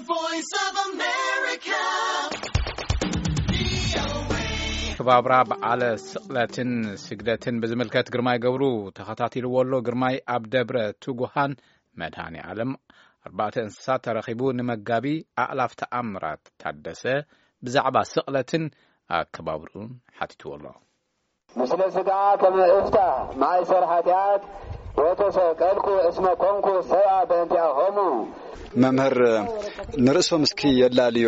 Voice of America. ክባብራ በዓለ ስቕለትን ስግደትን ብዝምልከት ግርማይ ገብሩ ተኸታቲልዎ ኣሎ። ግርማይ ኣብ ደብረ ትጉሃን መድሃኔ ዓለም ኣርባዕተ እንስሳት ተረኺቡ ንመጋቢ ኣእላፍ ተኣምራት ታደሰ ብዛዕባ ስቕለትን ኣከባብርኡን ሓቲትዎ ኣሎ። ምስለ ስጋ ከመ እፍታ ማእሰር ሓጢኣት ወተሰቀልኩ እስመ ኮንኩ ሰብኣ በእንቲኣሆሙ። መምህር ንርእሶም እስኪ የላልዮ።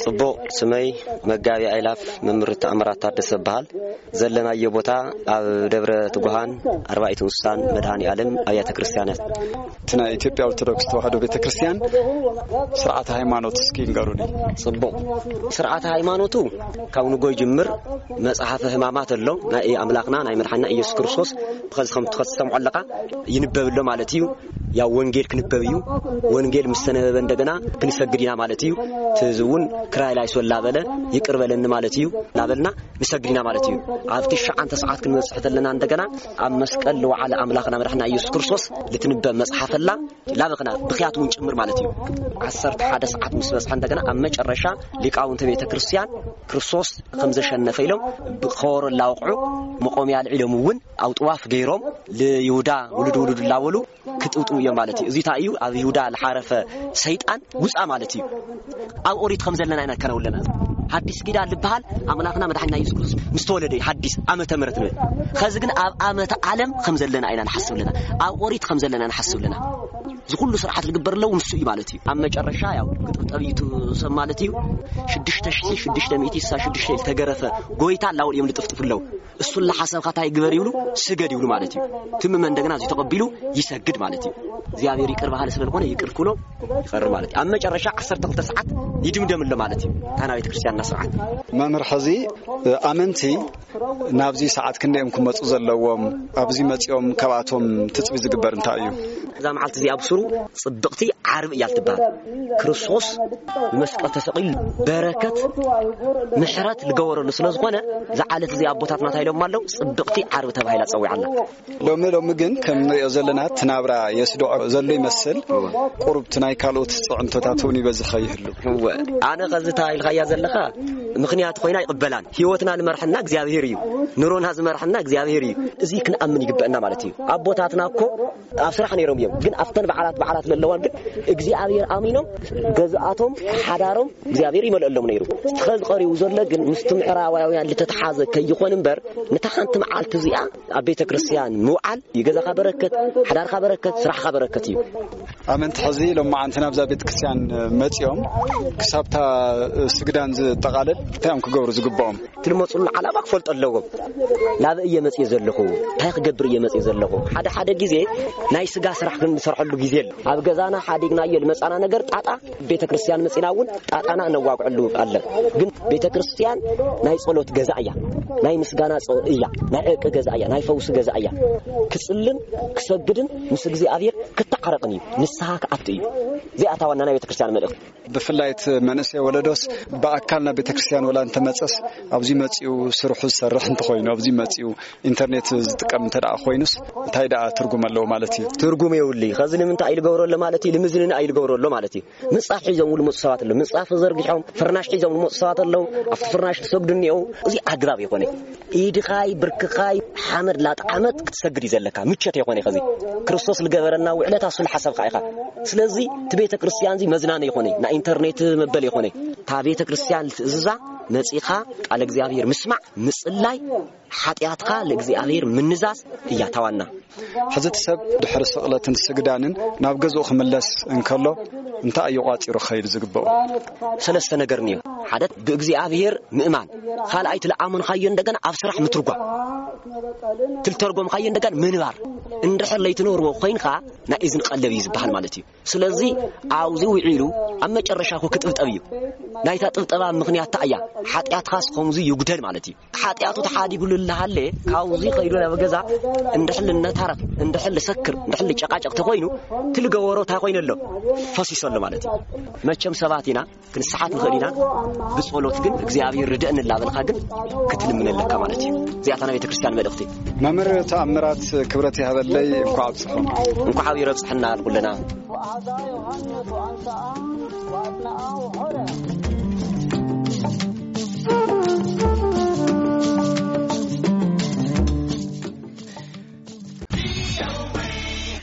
ጽቡቕ። ስመይ መጋቢ ኣይላፍ መምህር ተኣምራት ታደሰ እበሃል። ዘለናዮ ቦታ ኣብ ደብረ ትጉሃን ኣርባዕቱ እንስሳን መድሃኔ ዓለም ኣብያተ ክርስቲያናት። እቲ ናይ ኢትዮጵያ ኦርቶዶክስ ተዋህዶ ቤተ ክርስቲያን ስርዓተ ሃይማኖት እስኪ ንገሩኒ። ጽቡቕ። ስርዓተ ሃይማኖቱ ካብ ንጎ ይጅምር። መጽሓፈ ህማማት ኣሎ፣ ናይ ኣምላኽና ናይ መድሓና ኢየሱስ ክርስቶስ። ብኸዚ ከም ትኸትሰምዖ ኣለኻ፣ ይንበብ ኣሎ ማለት እዩ። ያው ወንጌል ክንበብ እዩ። ወንጌል ምስ ተነበበ እንደገና ክንሰግድ ኢና ማለት እዩ። እቲ ህዝቢ እውን ክራይ ላይሶ ላበለ ይቅር በለኒ ማለት እዩ። ላበልና ንሰግድ ኢና ማለት እዩ። ኣብ ትሽዓንተ ሰዓት ክንበጽሕ ተለና እንደገና ኣብ መስቀል ልወዓለ ኣምላኽና መድሓና ኢየሱስ ክርስቶስ ልትንበብ መጽሓፈላ ላበኽና ብኽያት እውን ጭምር ማለት እዩ። ዓሰርተ ሓደ ሰዓት ምስ በጽሐ እንደገና ኣብ መጨረሻ ሊቃውንተ ቤተ ክርስቲያን ክርስቶስ ከም ዘሸነፈ ኢሎም ብኸበሮ ላወቕዑ መቆምያ ኣልዒሎም እውን ኣብ ጥዋፍ ገይሮም ልይሁዳ ውሉድ ውሉድ ላበሉ ክጥውጥው እዮም ማለት እዩ። እዚ እንታይ እዩ? ኣብ ይሁዳ ልሓረፈ ሰይጣን ውፃ ማለት እዩ። ኣብ ኦሪት ከም ዘለና ኢና ከነውለና። ሓዲስ ኪዳን ልበሃል ኣምላኽና መድሓኒና ኢየሱስ ክርስቶስ ምስ ተወለደ እዩ ሓዲስ ዓመተ ምሕረት ንብል። ኸዚ ግን ኣብ ዓመተ ዓለም ከም ዘለና ኢና ንሓስብ ኣለና። ኣብ ኦሪት ከም ዘለና ንሓስብ ኣለና። እዚ ኩሉ ስርዓት ዝግበር ኣለዉ ንሱ እዩ ማለት እዩ። ኣብ መጨረሻ ያው ክጥብጠብ እዩ እቲ ሰብ ማለት እዩ። ሽዱሽተ ሽዱሽተ ሚእቲ ስሳ ሽዱሽተ ዝተገረፈ ጎይታ ኣላውን እዮም ልጥፍጥፉ ኣለዉ። እሱ ለሓሰብካ እንታይ ግበር ይብሉ? ስገድ ይብሉ ማለት እዩ። ትምመ እንደገና እዚ ተቐቢሉ ይሰግድ ማለት እዩ። እግዚኣብሔር ይቅር በሃሊ ስለዝኾነ ይቅር ክብሎ ይቐር ማለት እዩ። ኣብ መጨረሻ ዓሰርተ ክልተ ሰዓት ይድምደም ኣሎ ማለት እዩ። ታና ቤተ ክርስቲያንና ስርዓት መምህር ሕዚ ኣመንቲ ናብዚ ሰዓት ክንደዮም ክመፁ ዘለዎም ኣብዚ መፂኦም ካብኣቶም ትፅቢ ዝግበር እንታይ እዩ? እዛ መዓልቲ እዚኣ ብስሩ ጽብቕቲ ዓርቢ እያ ትበሃል። ክርስቶስ ብመስቀል ተሰቒሉ በረከት ምሕረት ልገበረሉ ስለ ዝኾነ እዛ ዓለት እዚኣ ኣቦታትና እንታይ ኢሎም ኣለዉ? ጽብቕቲ ዓርቢ ተባሂላ ጸዊዓ ኣላ። ሎሚ ሎሚ ግን ከም ንሪኦ ዘለና እቲ ናብራ የስድዖ ዘሎ ይመስል። ቁሩብ እቲ ናይ ካልኦት ጽዕንቶታት እውን ይበዝኸ ይህሉ። እወ ኣነ ኸዚ እንታይ ኢልካያ ዘለኻ ምኽንያት ኮይና ይቕበላን። ህይወትና ዝመርሐና እግዚኣብሔር እዩ። ኑሮና ዝመርሐና እግዚኣብሔር እዩ። እዚ ክንኣምን ይግበአና ማለት እዩ። ኣቦታትና እኮ ኣብ ስራሕ ነይሮም እዮም፣ ግን ኣብተን በዓላት በዓላት ለለዋን ግን እግዚኣብሔር ኣሚኖም ገዝኣቶም ሓዳሮም እግዚኣብሔር ይመልአሎም ነይሩ። እስቲ ኸዚ ቀሪቡ ዘሎ ግን ምስቲ ምዕራባውያን ልተተሓዘ ከይኾን እምበር ነታ ሓንቲ መዓልቲ እዚኣ ኣብ ቤተ ክርስቲያን ምውዓል ይገዛኻ በረከት፣ ሓዳርካ በረከት፣ ስራሕካ በረከት እዩ። ኣመንቲ ሕዚ ሎማዓንቲ ናብዛ ቤተ ክርስቲያን መፂኦም ክሳብታ ስግዳን ዝጠቓለል እንታይ እዮም ክገብሩ ዝግብኦም? ትልመፁሉ ዓላማ ክፈልጡ ኣለዎም። ናብ እየ መፅየ ዘለኹ እንታይ ክገብር እየ መፅየ ዘለኹ? ሓደ ሓደ ግዜ ናይ ስጋ ስራሕ ክንሰርሐሉ ግዜ ኣሎ። ኣብ ገዛና ሓዲግናዮ ልመፃና ነገር ጣጣ ቤተ ክርስቲያን መፂና እውን ጣጣና እነዋግዐሉ ኣለን። ግን ቤተ ክርስቲያን ናይ ጸሎት ገዛ እያ፣ ናይ ምስጋና እያ፣ ናይ ዕርቂ ገዛ እያ፣ ናይ ፈውሲ ገዛ እያ። ክጽልን ክሰግድን ምስ እግዚኣብሔር ክተዓረቕን እዩ፣ ንስሓ ክኣቱ እዩ። እዚኣ እታ ዋና ናይ ቤተ ክርስቲያን መልእኽቲ። ብፍላይ እቲ መንእሰይ ወለዶስ ብኣካል ናብ ቤተ ክርስቲያን ወላ እንተመጸስ ኣብዚ መጺኡ ስርሑ ዝሰርሕ እንተኾይኑ ኣብዚ መጺኡ ኢንተርኔት ዝጥቀም እንተ ደኣ ኮይኑስ እንታይ ደኣ ትርጉም ኣለዎ ማለት እዩ? ትርጉም የብሉይ። ኸዚ ንምንታይ ኢሉ ገብሮ ኣሎ ማለት እዩ? ንምዝንና ኢሉ ገብሮ ኣሎ ማለት እዩ። ምንጻፍ ሒዞም ዝመጹ ሰባት ኣለዉ። ምንጻፍ ዘርጊሖም ፍርናሽ ሒዞም ዝመጹ ሰባት ኣለዉ። ኣብቲ ፍርናሽ ዝሰግዱ እኒአው። እዚ ኣግባብ የኾነ። ኢድኻይ ብርክኻይ ሓመድ ላጥዓመት ክትሰግድ እዩ ዘለካ። ምቸት የኾነ ኸዚ ክርስቶስ ዝገበረና ውዕለታ እሱ ዝሓሰብካ ኢኻ። ስለዚ እቲ ቤተ ክርስቲያን እዚ መዝናነ የኾነ፣ ናይ ኢንተርኔት መበል የኾነ። እታ ቤተ ክርስቲያን ዝትእዝዛ መጺኻ ቃለ እግዚኣብሔር ምስማዕ፣ ምጽላይ፣ ሓጢኣትካ ለእግዚኣብሔር ምንዛዝ እያ ታዋና። ሕዚ እቲ ሰብ ድሕሪ ስቕለትን ስግዳንን ናብ ገዝኡ ክምለስ እንከሎ እንታይ እዩ ቋጺሩ ክኸይድ ዝግብኦ? ሰለስተ ነገር እኒኦ። ሓደ ብእግዚኣብሔር ምእማን፣ ካልኣይ እቲ ለኣመንካዮ እንደገና ኣብ ስራሕ ምትርጓም፣ ትልተርጎምካዮ እንደገና ምንባር። እንድሕር ለይትነብርዎ ኮይንካ ናይ እዝን ቀለብ እዩ ዝበሃል ማለት እዩ። ስለዚ ኣብዚ ውዒሉ ኣብ መጨረሻ እኮ ክጥብጠብ እዩ። ናይታ ጥብጠባ ምኽንያት እታ እያ ሓጢኣትካስ ከምዚ ይጉደል ማለት እዩ። ሓጢኣቱ ተሓዲጉሉ እናሃለ ካብዚ ከይዱ ናብ ገዛ እንድሕል እናታረፍ እንድሕል ሰክር እንድሕል ጨቃጨቅ ተኮይኑ ትልገበሮ እንታይ ኮይኑ ኣሎ ፈሲሱ ኣሎ ማለት እዩ። መቸም ሰባት ኢና ክንስሓት ንኽእል ኢና። ብጸሎት ግን እግዚኣብሔር ርድእን እናበልካ ግን ክትልምን ኣለካ ማለት እዩ። እዚኣታ ናይ ቤተክርስትያን መልእኽቲ። መምህር ተኣምራት ክብረት ይሃበለይ። እንኳዕ ኣብፅሖም። እንኳዕ ኣብዩ ረብፅሐና ንኩልና። ንኣውዕረ